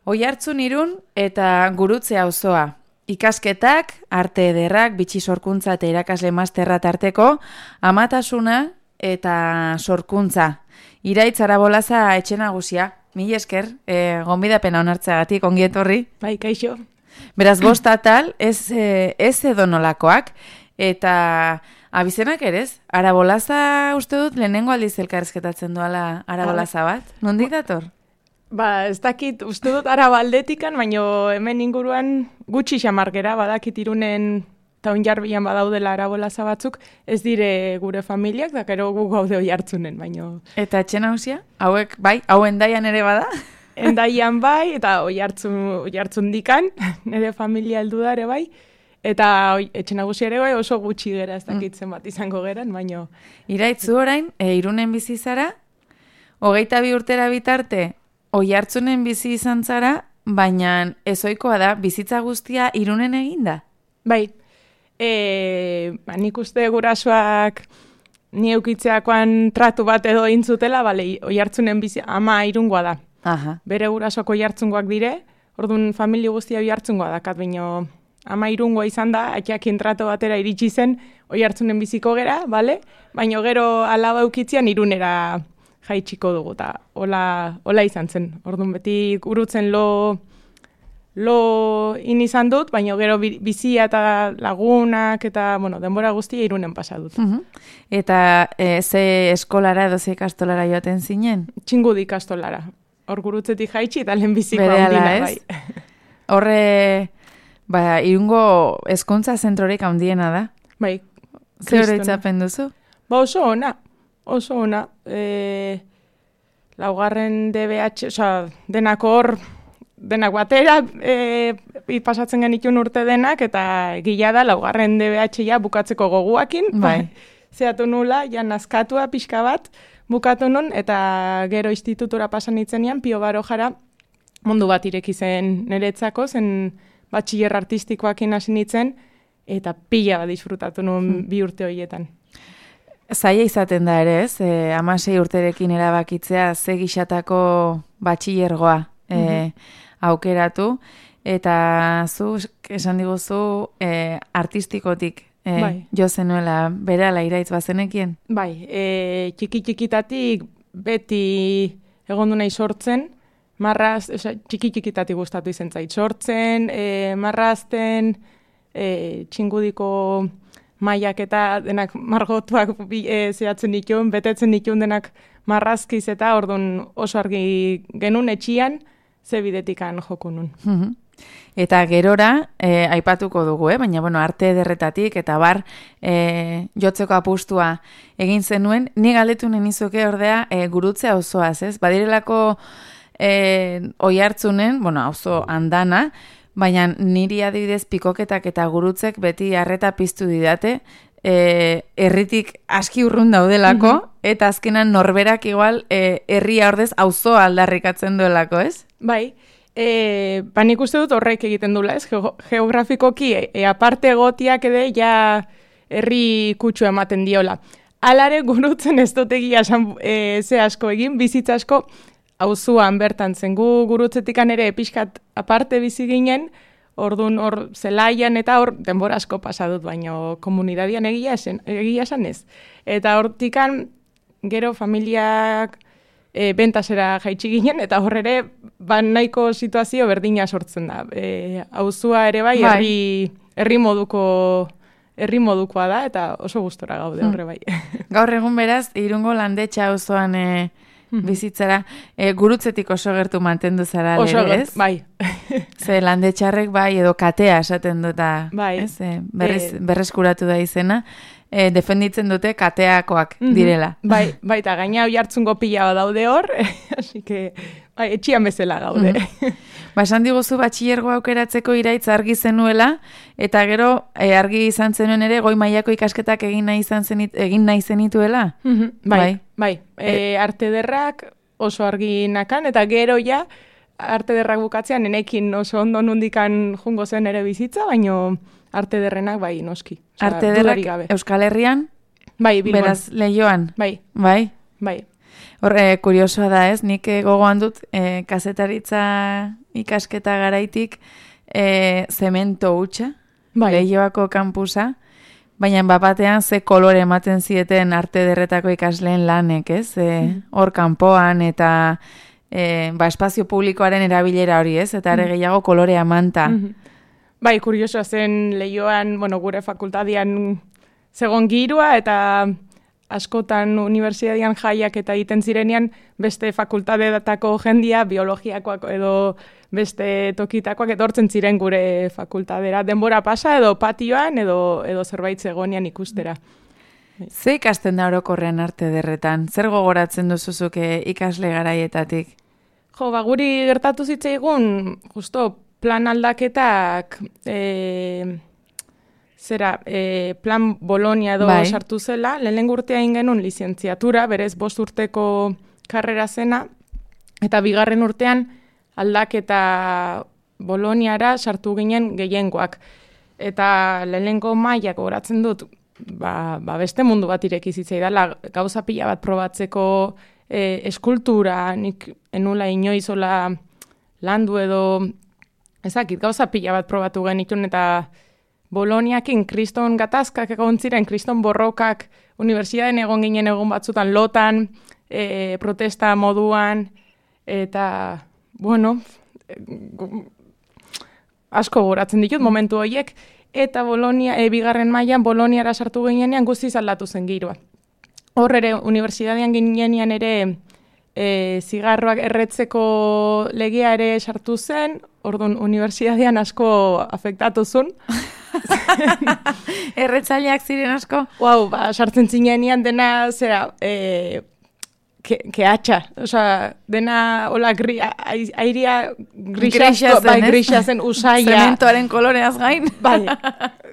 Oiartzun Irun eta Gurutze auzoa. Ikasketak, arte ederrak, bitxi sorkuntza eta irakasle masterra tarteko, amatasuna eta sorkuntza. Iraitz Arabolaza etxe nagusia. Mil esker, gonbidapena onartzeagatik, ongi etorri. Bai, kaixo. Beraz, bost atal, ez edonolakoak, eta abizenak ere ez? Arabolaza uste dut lehenengo aldiz elkarrezketatzen duala Arabolaza bat. Nondik dator? Ez dakit, uste dut Arabaldetikan, baino hemen inguruan gutxi xamargera, badakit Irunen taunjarbian badaudela Arabolaza batzuk, ez dire gure familiak, da gero gu gaude Oiartzunen, baino... Eta etxe nagusia? Hauek, bai? Hau Endaian ere bada? Endaian bai, eta Oiartzun dikan, nire familia heldu da ere bai, eta etxe nagusia ere bai oso gutxi gera, ez dakitzen bat izango geran, baino... Iraitzu orain, Irunen bizi zara, 22 urtera bitarte, Oiartzunen bizi izan zara, baina ezoikoa da, bizitza guztia Irunen eginda? Bai, nik uste gurasoak ni eukitzeakoan tratu bat edo intzutela, bale, Oiartzunen bizi, ama Irungoa da. Aha. Bere gurasoak Oiartzungoak dire, orduan familia guztia Oiartzungoa dakat, baino ama Irungoa izan da, atxakin tratu batera iritsi zen Oiartzunen biziko gera, bale? Baino gero alaba eukitzean Irunera jaitsiko dugu, eta hola izan zen. Orduan beti gurutzen lo izan dut, baina gero bizia eta lagunak eta denbora guztia Irunen pasa dut. Eta ze eskolara edo ze ikastolara joaten zinen? Txingudi ikastolara. Hor gurutzetik jaitsi eta lehen biziko handina, bai. Horre, Irungo hezkuntza zentrorik handiena da? Bai. Ze horitzapen duzu? Oso ona. Laugarren DBH, denak hor, denak batera, pasatzen genitun urte denak, eta gila da, laugarren DBH ja bukatzeko goguakin. Bai. Zeatu nula, ja nazkatua pixka bat, bukatu nun, eta gero institutura pasan itzenean, Pio Barojara mundu bat ireki zen niretzako, zen batxiller artistikoakin hasi nitzen, eta pila bat disfrutatu nun 2 urte horietan. Zaila izaten da ere, ez? 16 urterekin erabakitzea ze gixatako batxillergoa aukeratu, eta zu esan diguzu artistikotik jo zenuela berehala Iraitz bazenekien? Bai, txiki-txikitatik beti egondu nahi sortzen, txiki-txikitatik gustatu izen zait sortzen, marrazten, txingudiko maiak eta denak margotuak zehatzen dituen, betetzen dituen denak marrazkiz eta orduan oso argi genuen etxian, ze bidetikan joko nun. Eta gerora, aipatuko dugu, baina arte ederretatik eta bar jotzeko apustua egin zenuen, ni galdetu nenizuke ordea Gurutze auzoaz, ez? Badirelako Oiartzunen, auzo andana, baina niri adibidez pikoketak eta gurutzek beti arreta piztu didate, herritik aski urrun daudelako, eta azkenan norberak igual herria ordez auzoa aldarrikatzen duelako, ez? Bai, nik uste dut horrek egiten dula, ez? Geografikoki, aparte egotiak ere, ja herri kutsu ematen diola. Alare gurutzen ez dut egia ze asko egin, bizitza asko, auzuan bertan zen gu gurutzetikan ere pixkat aparte bizi ginen, orduan hor zelaian eta hor denbora asko pasa dut, baino komunidadian egia esan ez. Eta hortikan gero familiak bentasera jaitsi ginen, eta hor ere nahiko situazio berdina sortzen da. Auzua ere bai herri modukoa da, eta oso gustora gaude horre bai. Gaur egun beraz, Irungo Landetxa auzoan bizitzara, gurutzetik oso gertu mantendu zara, ez? Bai. Ze Landetxarrek bai, edo katea esaten duta, bai. Ez? Berreskuratu da izena, defenditzen dute kateakoak direla. Bai, eta gaina Oiartzungo pila daude hor, así que etxian bezala gaude. Esan diguzu batxillergoa aukeratzeko Iraitz argi zenuela, eta gero argi izan zenuen ere goi mailako ikasketak egin nahi zenituela? Bai. Arte ederrak oso argi nakan, eta gero ja arte ederrak bukatzean enekin oso ondo nundikan jungo zen ere bizitza, baino arte ederrenak bai noski. Arte ederrak Euskal Herrian? Bai, Bilbon. Beraz, Leioan? Bai. Hor, kuriosoa da ez, nik gogoan dut kazetaritza ikasketa garaitik zemento hutsa, Leioako kampusa, baina bapatean ze kolore ematen zieten arte ederretako ikasleen lanek, ez? Hor kanpoan eta espazio publikoaren erabilera hori, ez? Eta ere gehiago kolorea manta. Bai, kuriosoa zen Leioan, gure fakultadian zegon girua eta askotan unibertsitatean jaiak eta egiten zirenean beste fakultateetako jendia, biologiakoak edo beste tokitakoak etortzen ziren gure fakultadera. Denbora pasa edo patioan edo zerbait zegonean ikustera. Ze ikasten da orokorrean arte ederretan? Zer gogoratzen duzuzuk ikasle garaietatik? Guri gertatu zitzaigun, justo plan aldaketak plan Bolonia edo sartu zela, lehen urtea genuen lizentziatura, berez 5 urteko karrera zena, eta 2. urtean aldaketa Boloniara sartu ginen gehiengoak. Eta lehenengo mailak goratzen dut, beste mundu bat ireki zitzaidala, gauza pila bat probatzeko eskultura, nik enula inoizola landu edo, ezakit, gauza pila bat probatu genitun eta Boloniakin kriston gatazkak egon ziren, kriston borrokak, unibertsitatean egon ginen egon batzutan lotan, protesta moduan, eta, asko goratzen ditut momentu horiek, eta Bolonia, 2. mailan Boloniara sartu ginenean guztiz aldatu zen giroa. Hor ere, unibertsitatean ginenean ere zigarroak erretzeko legea ere sartu zen, orduan unibertsitatean asko afektatu zuen. Erretzaileak ziren asko? Sartzen zinean dena, kehatxa. Dena, airea grisa zen usaia. Zementoaren koloreaz gain.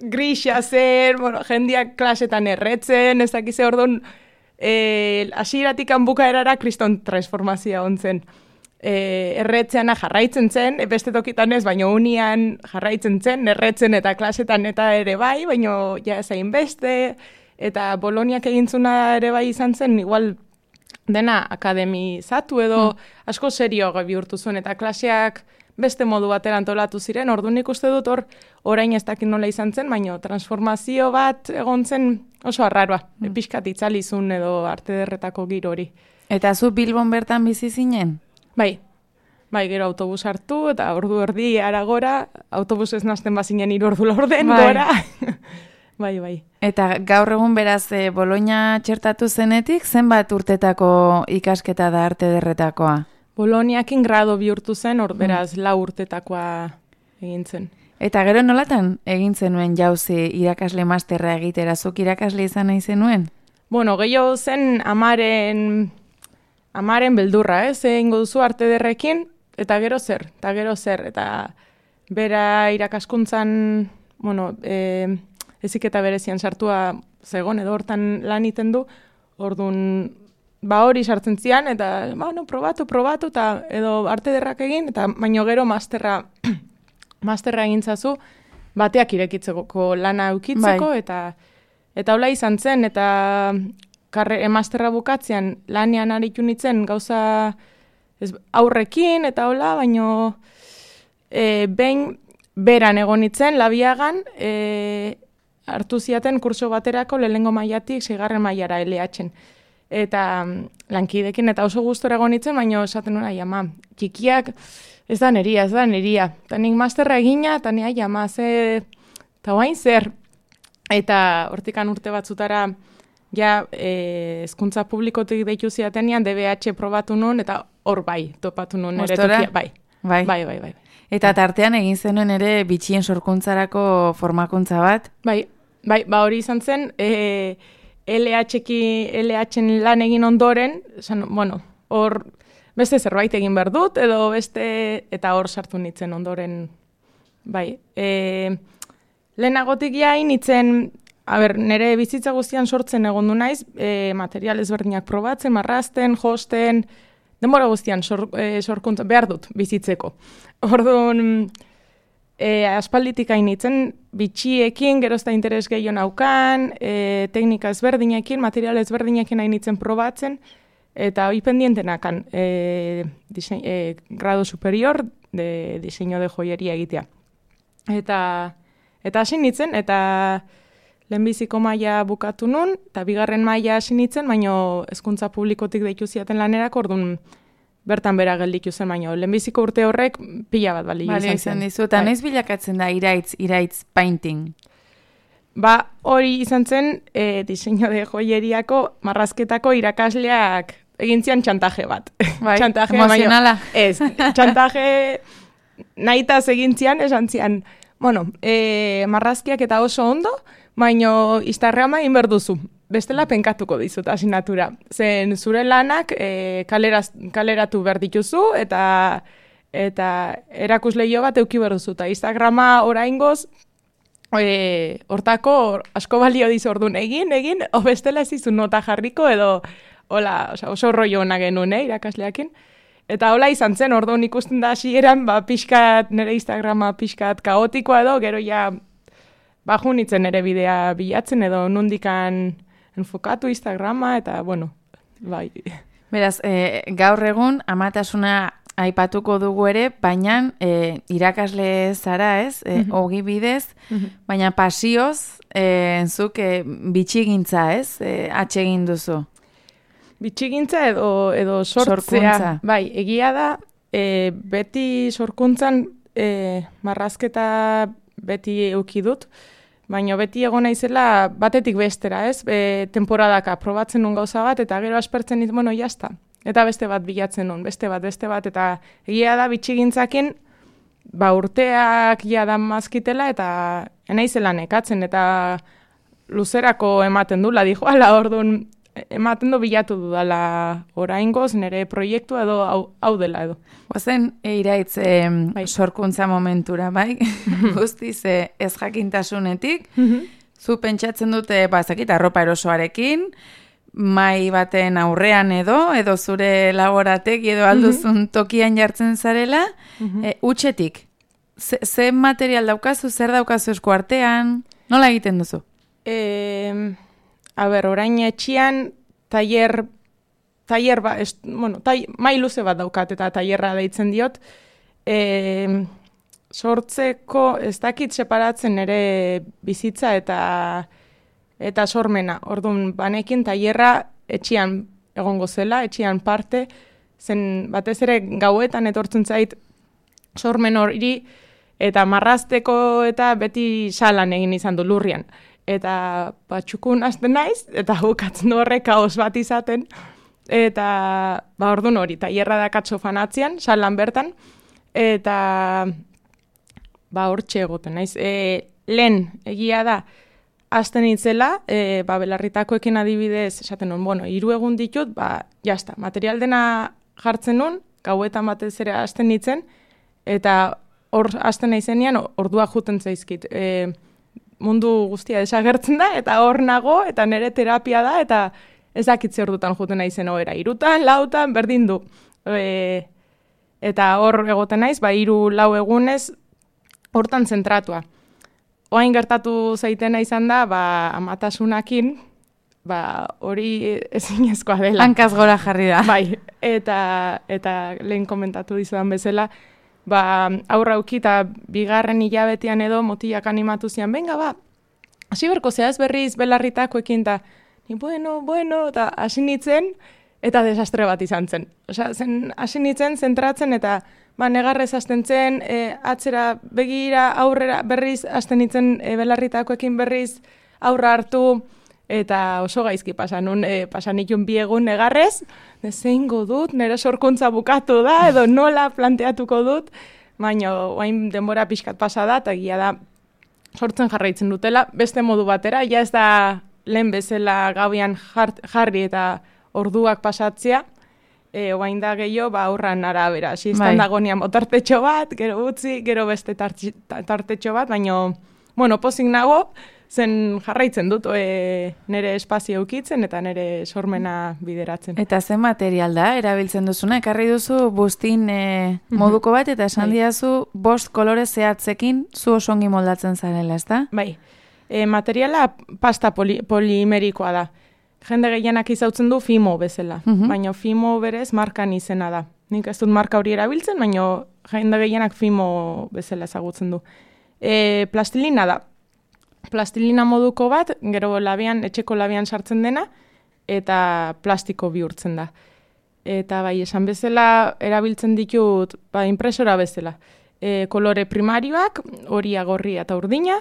Grisa zen, jendeak klasetan erretzen, ez dakize orduan, hasieratik bukaerara kriston transformazioa ontzen. Erretzeana jarraitzen zen, beste tokitan ez, baina unian jarraitzen zen, erretzen eta klasetan eta ere bai, baina ja zain beste, eta Boloniak egintzuna ere bai izan zen, igual dena akademizatu edo asko serio bihurtu zuen, eta klaseak beste modu batera antolatu ziren, orduan ikuste dut orain ez dakit nola izan zen, baina transformazio bat egon zen oso arraroa, pixkat itzalizun edo arte ederretako giro hori. Eta zu Bilbon bertan bizi zinen? Bai, gero autobus hartu eta ordu erdi aragora, autobus ez nazten bazinen 3 ordu laurden gora. Bai. Eta gaur egun beraz Bologna txertatu zenetik, zenbat urtetako ikasketa da arte ederretakoa? Boloniakin grado bihurtu zen, beraz 4 urtetakoa egin zen. Eta gero nolatan egin zenuen jauzi irakasle masterra egitera, zuk irakasle izan nahi zenuen? Gehiago zen amaren beldurra, egingo duzu arte ederrekin, eta gero zer, eta bera irakaskuntzan, eziketa berezian sartua zegon, edo hortan lan iten du, orduan, hori sartzen zian, eta, probatu, eta edo arte ederrak egin, eta baino gero masterra egintzazu, bateak irekitzeko lana eukitzeko, eta hola izan zen, eta masterra bukatzean lanean aritu nintzen gauza aurrekin eta hola, baino behin beran egon nintzen, Labiagan, hartu ziaten kurso baterako lehenengo mailatik 6. mailara LH-en. Eta lankidekin eta oso gustora egon nintzen, baino esaten nuen, ama, txikiak ez da neria. Eta nik masterra egina, eta nire, ama, eta guain zer. Eta hortikan urte batzutara, ja, hezkuntza publikotik deitu ziatenean, DBH probatu nun, eta hor topatu nun. Mostora? Bai. Eta tartean egin zenuen ere bitxien sorkuntzarako formakuntza bat? Bai, hori izan zen, LH-en lan egin ondoren, hor beste zerbait egin behar dut, edo beste, eta hor sartu nintzen ondoren, bai. Lehenagotik jain nintzen, nire bizitza guztian sortzen egon du naiz, material ezberdinak probatzen, marrazten, josten, denbora guztian sorkuntza behar dut bizitzeko. Orduan, aspalditik hain nintzen, bitxiekin, gerozta interes gehiago naukan, teknika ezberdinekin, material ezberdinekin hain nintzen probatzen, Eta hoi pendientenakan grado superior de diseño de joyería egitea. Eta hasi nintzen, eta lehenbiziko maila bukatu nun, eta bigarren maila hasi nintzen, baino hezkuntza publikotik deitu ziaten lanerako, orduan bertan bera gelditu zen, baino lehenbiziko urte horrek pila bat bali izan dizu. Eta noiz bilakatzen da iraitz painting? Ba, hori izan zen diseño de joyeriako marrazketako irakasleak egintzian txantaje bat. Bai, txantaje, emozionala. Ez, txantaje nahitaz egintzian, esan zian, bueno, marrazkiak eta oso ondo, baino Instagrama egin berduzu. Bestela penkatuko dizut asignatura. Zen zure lanak kaleratu behar dituzu eta erakusleio bat euki berduzu. Eta Instagrama oraingoz, hortako asko balio dizu orduan egin, o bestela ez izun nota jarriko edo hola, oso rollo ona genuen, irakasleakin. Eta hola izan zen, orduan ikusten da hasieran, pixkat, nire Instagrama pixkat kaotikoa edo, gero ja bajunitzen ere bidea bilatzen edo nundikan enfokatu Instagrama eta, bueno, bai. Beraz, gaur egun amatasuna aipatuko dugu ere, baina irakasle zara, ez? Ogi bidez, baina pasioz, zuk bitxigintza, ez? Atsegin duzu. Bitxigintza edo sortzea. Bai, egia da, beti sorkuntzan marrazketa beti euki dut, baina beti egon naizela batetik bestera, ez? Temporadaka probatzen nun gauza bat, eta gero aspertzen dit, bueno, jazta. Eta beste bat bilatzen nun, beste bat, eta egia da bitxigintzakin, urteak da mazkitela, eta enaizela nekatzen, eta luzerako ematen dula, dijo, ala, orduan, ematen du bilatu dudala oraingoz, nire proiektua edo hau dela edo. Oazen, iraitz sorkuntza momentura, bai? Guztiz ez jakintasunetik, zu pentsatzen dute, zakit, arropa erosoarekin, mai baten aurrean edo zure laboratek edo alduzun tokian jartzen zarela, utxetik. Ze material daukazu, zer daukazu esku artean, nola egiten duzu? Orain etxian mai luze bat daukat eta tailerra deitzen diot. Sortzeko ez dakit separatzen ere bizitza eta sormena. Orduan, banekin tailerra etxian egongo zela, etxian parte, zen batez ere gauetan etortzen zait sormen hori eta marrazteko eta beti salan egin izan du lurrian. Eta txukun hasten naiz, eta bukatzen horrek kaos bat izaten, eta orduan hori, tailerra dakatzo fanatzean, salan bertan, eta hortxe egoten naiz. Lehen, egia da, hasten itzela, belarritakoekin adibidez, esaten nun, 3 egun ditut, jazta, material dena jartzen nun, gauetan batez ere hasten nitzen, eta hor hasten naizenean, ordua juten zaizkit. Mundu guztia desagertzen da, eta hor nago, eta nire terapia da, eta ez dakitze ordutan juten naizen ohera. 3, 4, berdin du. Eta hor egoten naiz, 3-4 egunez, hortan zentratua. Oain gertatu zaitena izan da, amatasunakin, hori ezinezkoa dela. Hankaz gora jarri da. Bai, eta lehen komentatu dizudan bezala, aurra auki eta bigarren hilabetean edo motilak animatu zian, venga, hasi berko zehaz berriz belarritakoekin, eta bueno, eta hasi nitzen, eta desastre bat izan zen. Hasi nitzen, zentratzen, eta negarrez hasten zen, atzera begira, aurrera berriz, hasten nitzen belarritakoekin berriz, aurra hartu, eta oso gaizki pasan itun 2 egun negarrez, zeingo dut, nire sorkuntza bukatu da, edo nola planteatuko dut, baina oain denbora pixkat pasa da, eta egia da sortzen jarraitzen dutela, beste modu batera, ja ez da lehen bezala gauian jarri eta orduak pasatzea, oain da gehiago, aurran arabera, izan dagonean tartetxo bat, gero utzi, gero beste tartetxo bat, baina, pozik nago, zen jarraitzen dut nire espazio eukitzen eta nire sormena bideratzen. Eta zen material da, erabiltzen duzuna, ekarri duzu buztin moduko bat, eta esan diazu 5 kolore zehatzekin zu osongi moldatzen zarela, ez da? Bai, materiala pasta polimerikoa da. jende gehienak izautzen du Fimo bezala, baina Fimo berez markan izena da. Nik ez dut marka hori erabiltzen, baina jende gehienak Fimo bezala ezagutzen du. Plastilina da. Plastilina moduko bat, gero etxeko labian sartzen dena, eta plastiko bihurtzen da. Eta bai, esan bezala erabiltzen ditut impresora bezala. Kolore primarioak, horia, gorria eta urdina,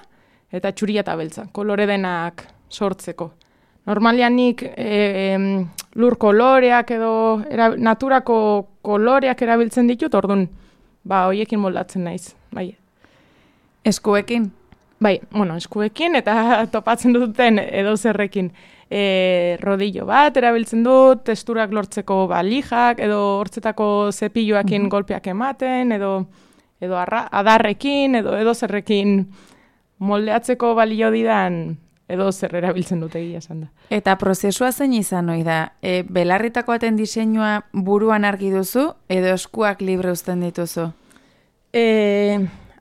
eta txuria eta beltza. Kolore denak sortzeko. Normalian nik lur koloreak edo naturako koloreak erabiltzen ditut, orduan, hoiekin moldatzen naiz. Bai. Eskuekin? Bai, eskuekin eta topatzen duten edo zerrekin. Rodillo bat erabiltzen dut, testurak lortzeko balijak, edo hortzetako zepilloakin golpeak ematen, edo adarrekin, edo zerrekin moldeatzeko balio didan edo zer erabiltzen dute egia esan da. Eta prozesua zein izan ohi da? Belarritako baten diseinua buruan argi duzu, edo eskuak libre uzten dituzu?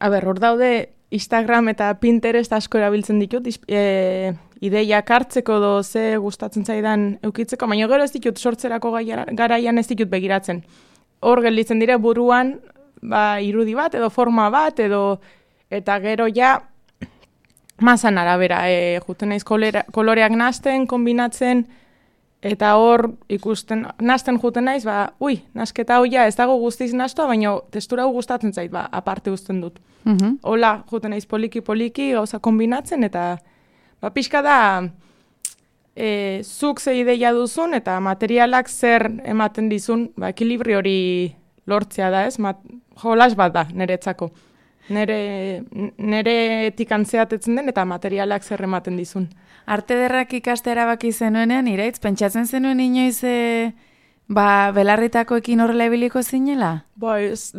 Hor daude Instagram eta Pinterest asko erabiltzen ditut, ideiak hartzeko edo ze gustatzen zaidan eukitzeko, baina gero ez ditut sortzerako garaian ez ditut begiratzen. Hor gelditzen dire buruan irudi bat edo forma bat eta gero ja mazan arabera, juten naiz koloreak nahasten, kombinatzen, eta hor ikusten, nahasten juten naiz, nasketa hau ja ez dago guztiz nahastua, baina testura hau gustatzen zait, aparte uzten dut. Hola, juten naiz poliki gauza kombinatzen, eta pixka da zuk ze ideia duzun, eta materialak zer ematen dizun, ekilibri hori lortzea da, ez? Jolas bat da, niretzako. Nere tikantzeatetzen den eta materialak zer ematen dizun. Arte ederrak ikaste erabaki zenuenean, Iraitz, pentsatzen zenuen inoiz belarritakoekin horrela ebiliko zinela? Ez,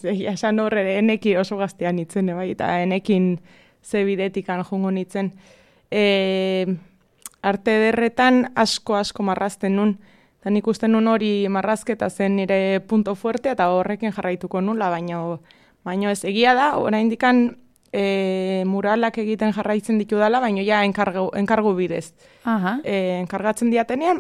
esan horre, eneki oso gaztean itzen, eta enekin ze bidetikan jungo nitzen. Arte ederretan asko marrazten nun, eta nik uste nun hori marrazketa zen nire punto fuerte, eta horrekin jarraituko nula, baina ez egia da, oraindikan muralak egiten jarraitzen ditu dela, baina ja enkargu bidez. Enkargatzen diatenean,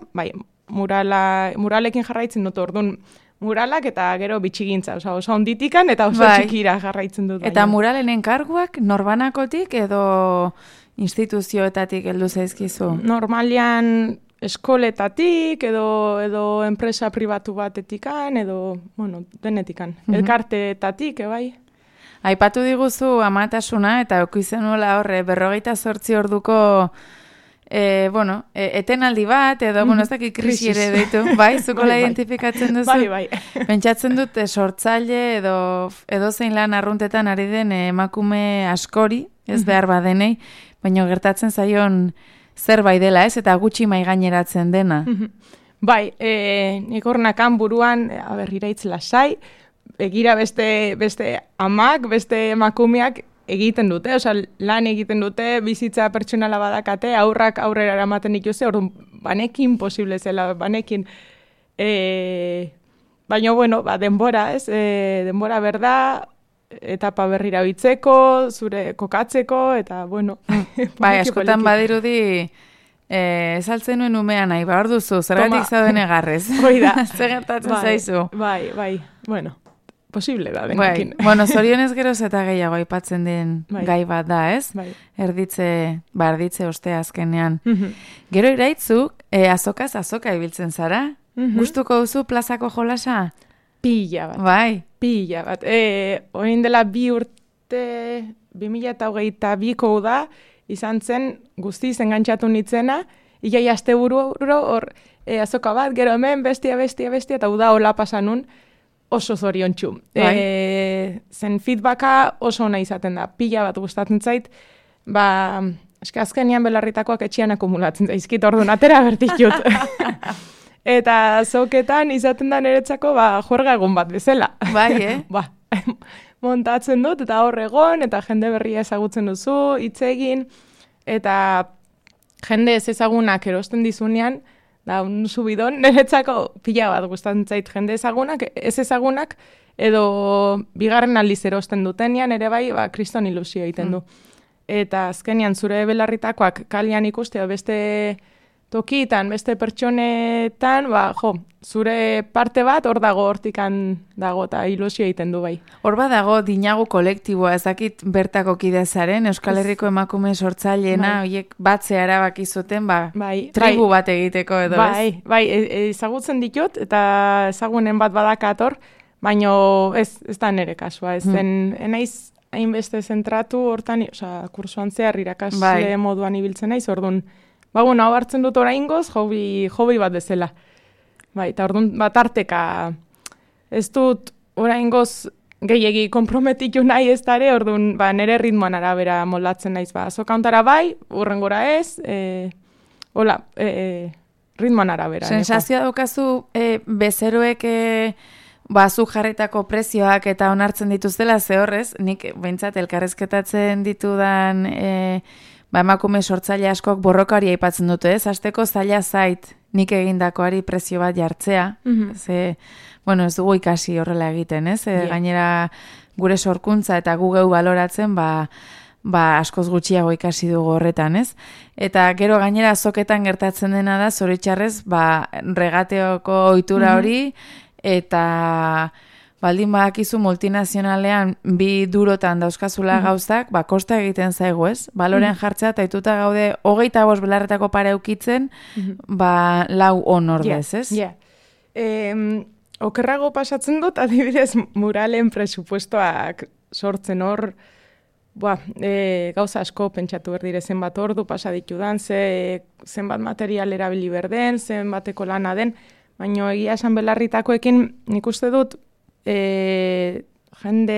muralekin jarraitzen dut, orduan muralak eta gero bitxigintza, oso onditikan eta oso txikira jarraitzen dut. Eta muralen enkarguak norbanakotik edo instituzioetatik heldu zaizkizu? Normalian eskoletatik edo enpresa pribatu batetikan edo, denetikan. Elkarteetatik, bai. Aipatu diguzu amatasuna eta okuizenuela horre 48 orduko etenaldi bat edo, ez dakit krisi ere ditu, bai, zukola identifikatzen duzu? Bai. Pentsatzen dut sortzaile edo zein lan arruntetan ari den emakume askori, ez behar badenei, baina gertatzen zaion zerbait dela, ez? Eta gutxi maigaineratzen dena. Bai, nik horrenakan buruan, Iraitz lasai, egira beste amak, beste emakumeak egiten dute, lan egiten dute, bizitza pertsonala badakate, aurrak aurrera eramaten dituze, orduan banekin posible zela, banekin. Baina, denbora, ez? Denbora berda, etapa berrira bitzeko, zure kokatzeko, eta, askotan badirudi, saltzen nuen umean nahi, hor duzu, zergatik zauden egarrez. Hoi da. Zer gertatzen zaizu. Bai, posible da, denekin. Zorionez geroz eta gehiago aipatzen den gai bat da, ez? Erditze ostea azkenean. Gero Iraitzu, azoka ibiltzen zara? Gustuko duzu plazako jolasa? Pila bat. Bai. Pila bat. Oin dela 2 urte, 2022ko da, izan zen guztiz engantzatu nitzena, iai asteburu hor azoka bat, gero hemen, bestia, eta uda hola pasanun, oso zoriontsu. Zen feedbacka oso ona izaten da, pila bat gustatzen zait, azkenean belarritakoak etxean akumulatzen zaizkit, orduan atera bertitut. Eta zoketan izaten da niretzako juerga egun bat bezala. Bai, montatzen dut, eta hor egon, eta jende berria ezagutzen duzu, hitz egin, eta jende ez ezagunak erosten dizunean, da un subidon niretzako pila bat gustatzen zait jende ezagunak, ez ezagunak, edo bigarren aldiz erosten dutenean, ere bai, kriston ilusio egiten du. Eta azkenean zure belarritakoak kalian ikustea beste tokitan, beste pertsonetan, zure parte bat hor dago, hortikan dago, eta ilusio egiten du bai. Hor dago dinagu kolektiboa, ezakit bertako kidezaren, Euskal Herriko emakume sortzaileena, horiek batzea erabaki zuten, tribu bat egiteko edo, ez? Bai, ezagutzen ditut, eta ezagunen bat badakator, baina ez da nire kasua, ez naiz hainbeste zentratu hortan, kursuan zehar irakasle moduan ibiltzen naiz, orduan, hau hartzen dut oraingoz, hobi bat bezala. Bai, eta orduan bat arteka ez dut oraingoz gehiegi konprometitu nahi ez dare, orduan nire ritmoan arabera moldatzen naiz. Azokauntara bai, urrengora ez, ritmoan arabera. Sensazioa daukazu bezeroek zu jarritako prezioak eta onartzen dituztela ze horrez, nik behintzat elkarrezketatzen ditudan emakume sortzaile askok borroka hori aipatzen dute, ez? Hasteko zaila zait nik egindakoari prezio bat jartzea, ze, ez dugu ikasi horrela egiten, ez? Gainera gure sorkuntza eta gu geu baloratzen, askoz gutxiago ikasi dugu horretan, ez? Eta gero gainera azoketan gertatzen dena da, zoritxarrez, regateoko ohitura hori, eta baldin badakizu multinazionalean bi durotan dauzkazula gauzak, kosta egiten zaigu, ez? Balorean jartzea, eta ituta gaude 25 belarretako pare eukitzen, 4 ordez, ez? Okerrago pasatzen dut, adibidez, muralen presupuestoak sortzen hor, gauza asko pentsatu berdire zenbat ordu pasa ditudan, zenbat material erabili berden, zenbateko lana den, baina egia esan belarritakoekin nik uste dut jende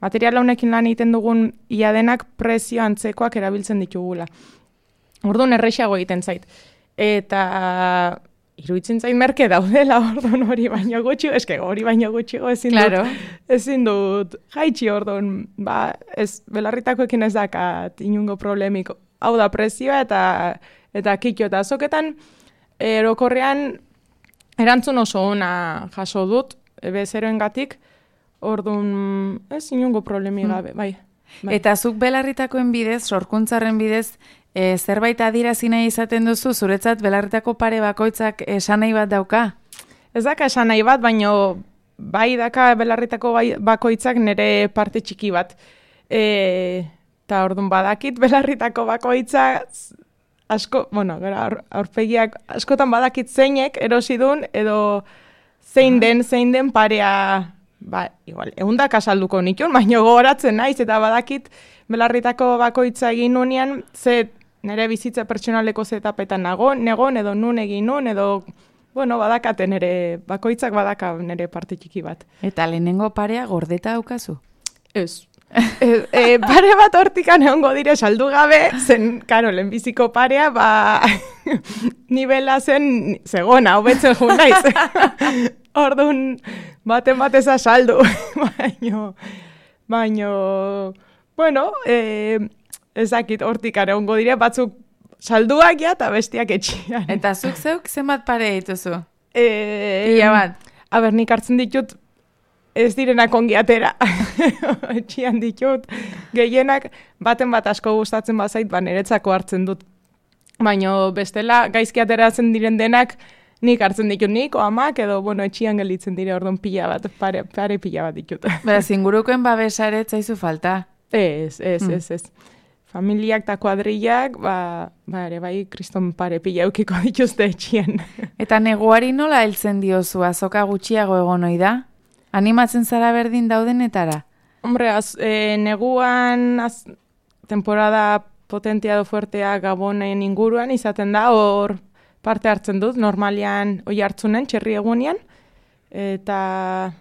material honekin lan egiten dugun ia denak prezio antzekoak erabiltzen ditugula. Orduan errexago egiten zait. Eta iruditzen zait merke daudela orduan hori baino gutxi, hori baino gutxigo ezin dut jaitsi orduan, ez belarritakoekin ez dakat inungo problemik. Hau da prezioa eta kitio eta azoketan erokorrean erantzun oso ona jaso dut, bezeroengatik, orduan ez inungo problemi gabe, bai. Eta zuk belarritakoen bidez, sorkuntzaren bidez, zerbait adirazi nahi izaten duzu, zuretzat belarritako pare bakoitzak esanai bat dauka? Ez daka esanai bat, baina bai daka belarritako bakoitzak nire parte txiki bat. Eta orduan badakit belarritako bakoitzak asko, aurpegiak askotan badakit zeinek erosidun edo zein den parea, igual, 100 asalduko nikun, baina gogoratzen naiz eta badakit belarritako bakoitza egin nunean, nire bizitza pertsonaleko zetapetan negon edo nun egin nun edo, badakate nire bakoitzak badaka nire parte txiki bat. Eta lehenengo parea gordeta daukazu? Ez. Pare bat hortikan egongo dire saldu gabe, zen, karo, lehenbiziko parea, nibela zen zegona, hobetzen jun naiz. Orduan, baten bateza saldu. Baino, ezakit hortikan egongo dire, batzuk salduak ja eta bestiak etxian. Eta zuk zeuk zenbat pare dituzu? Pila bat. Nik hartzen ditut, ez direnak ongi atera. Etxian ditut. Gehienak baten bat asko gustatzen bazait, niretzako hartzen dut. Baina bestela gaizki ateratzen diren denak nik hartzen ditut nik, amak edo etxian gelditzen dire orduan pila bat, pare pila bat ditut. Beraz, ingurukoen babesaret zaizu falta? Ez. Familiak eta kuadrillak, ere bai, kriston pare pila eukiko dituzte etxian. Eta neguari nola heltzen diozu, azoka gutxiago egon ohi da? Animatzen zara berdin daudenetara? Hombre, neguan temporada potentia edo fuertea Gabonen inguruan izaten da, hor parte hartzen dut, normalian oi hartzunen, txerri egunean, eta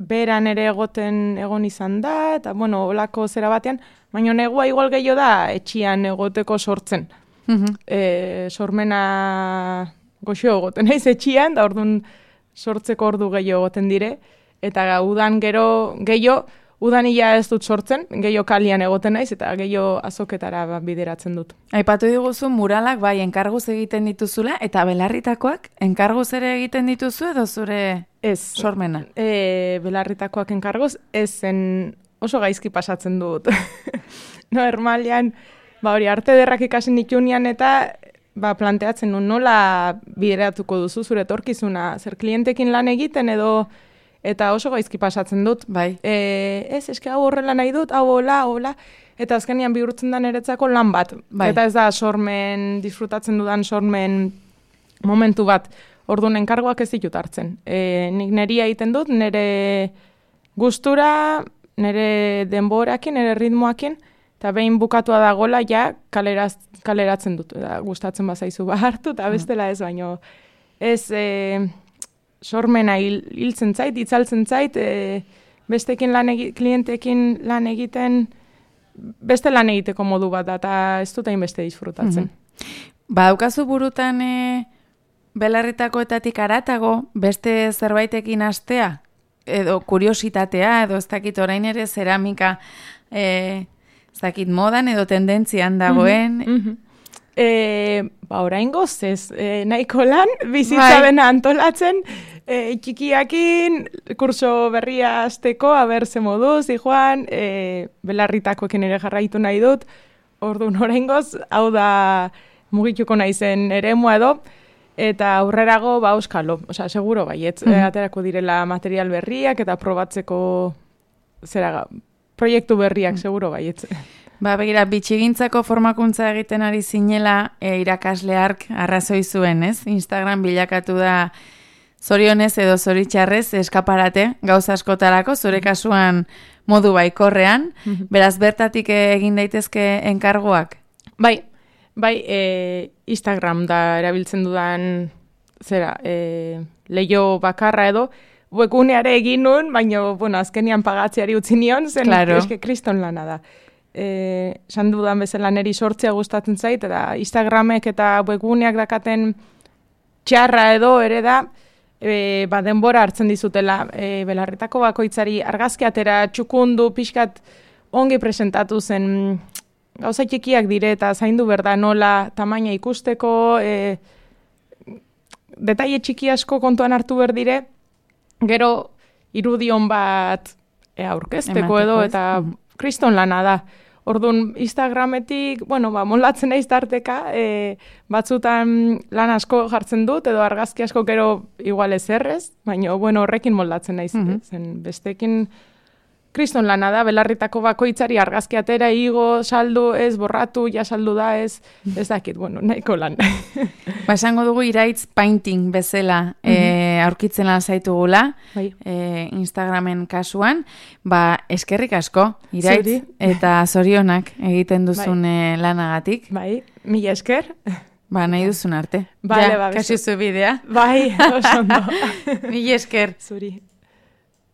beran ere egon izan da, eta olako zera batean, baina negua igual gehiago da etxian egoteko sortzen. Sormena goxo egoten naiz etxian, da orduan sortzeko ordu gehiago egoten dire, eta udan gehiago, udan ia ez dut sortzen, gehiago kalian egoten naiz, eta gehiago azoketara bideratzen dut. Aipatu diguzu muralak bai enkarguz egiten dituzula, eta belarritakoak enkarguz ere egiten dituzu edo zure sormena? Belarritakoak enkarguz, ezen oso gaizki pasatzen dut. Normalian, hori arte derrak ikasen ditunean eta planteatzen nun nola bideratuko duzu zure etorkizuna, zer klientekin lan egiten edo eta oso gaizki pasatzen dut. Bai. Eske hau horrela nahi dut, hau hola, eta azkenean bihurtzen da niretzako lan bat. Bai. Eta ez da disfrutatzen dudan sormen momentu bat. Orduan enkargoak ez ditut hartzen. Nik neria egiten dut, nire gustura, nire denborakin, nire ritmoakin, eta behin bukatua dagola ja kaleratzen dut. Eta gustatzen bazaizu hartu, eta bestela ez, baino ez sormena hiltzen zait, itzaltzen zait, bestekin klientekin lan egiten, beste lan egiteko modu bat da, eta ez dut hainbeste disfrutatzen. Badaukazu burutan belarritakoetatik aratago, beste zerbaitekin hastea? Edo kuriositatea, edo ez dakit orain ere zeramika, ez dakit modan edo tendentzian dagoen? Orain gozez, nahiko lan, bizitza bena antolatzen, txikiakin, kurso berria azteko, aber ze moduz, Juan, belarritakoekin ere jarraitu nahi dut, orduan orain goz, hau da mugituko naizen eremua edo, eta aurrerago euskalo, osea, seguro baietz, aterako direla material berriak eta probatzeko proiektu berriak, seguro baietz. Begira, bitxigintzako formakuntza egiten ari zinela irakasle hark arrazoi zuen, ez? Instagram bilakatu da zorionez edo zoritxarrez eskaparate gauza askotarako, zure kasuan modu baikorrean, beraz bertatik egin daitezke enkargoak? Bai, Instagram da erabiltzen dudan leio bakarra edo, webguneare egin nun, baina azkenian pagatzeari utzi nion, zen eske kriston lana da. Esan dudan bezala neri sortzea gustatzen zait, eta Instagramek eta webguneak dakaten txarra edo ere da, denbora hartzen dizutela belarritako bakoitzari argazki atera txukundu pixkat ongi presentatu zen gauza txikiak dire eta zaindu berda nola tamaina ikusteko, detaile txiki asko kontuan hartu berdire, gero irudion bat aurkezteko edo eta kriston lana da. Orduan, Instagrametik, molatzen naiz tarteka, batzutan lan asko jartzen dut, edo argazki asko gero igual ez errez, baina horrekin moldatzen naiz, zen bestekin kriston lana da, belarritako bakoitzari argazki atera, igo, saldu, ez, borratu, ja saldu da, ez dakit, nahiko lan. Esango dugu iraitz painting bezala aurkitzen lan zaitugula, Instagramen kasuan, eskerrik asko, iraitz, eta zorionak egiten duzun lanagatik. Mila esker. Nahi duzun arte. Vale, kasi zu bidea. Oso ondo. Mila esker. Zuri.